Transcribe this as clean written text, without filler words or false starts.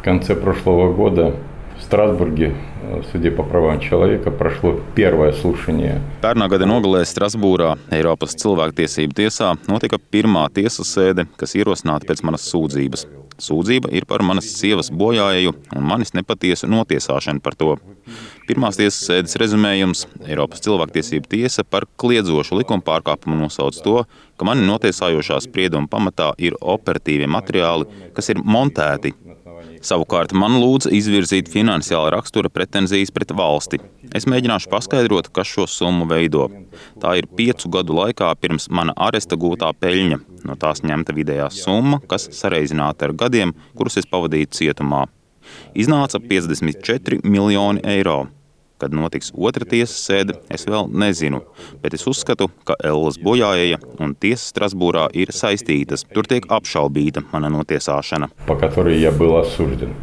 В конце прошлого года в Страсбурге в суде по правам человека прошло первое слушание. Pērnā gada nogalē Strasbūrā, Eiropas cilvēktiesību tiesā, notika pirmā tiesas sēde, kas ierosināta pēc manas sūdzības. Sūdzība ir par manas sievas bojāēju un manis nepatiesu notiesāšanu par to. Pirmās tiesas sēdes rezumējums – Eiropas cilvēktiesību tiesa par kliedzošu likuma pārkāpumu nosauc to, ka mani notiesājošā sprieduma pamatā ir operatīvie materiāli, kas ir montēti. Savukārt man lūdza izvirzīt finansiāla rakstura pretenzijas pret valsti. Es mēģināšu paskaidrot, kas šo summu veido. Tā ir 5 gadu laikā pirms mana aresta gūtā peļņa. No tās ņemta vidējā summa, kas sareizināta ar gadiem, kurus es pavadīju cietumā. Iznāca 54 miljoni eiro. Kad notiks otra tiesas sēde, es vēl nezinu, bet es uzskatu, ka Ellas bojāēja un tiesa Strasbūrā ir saistītas. Tur tiek apšaubīta mana notiesāšana. По которой я был осужден.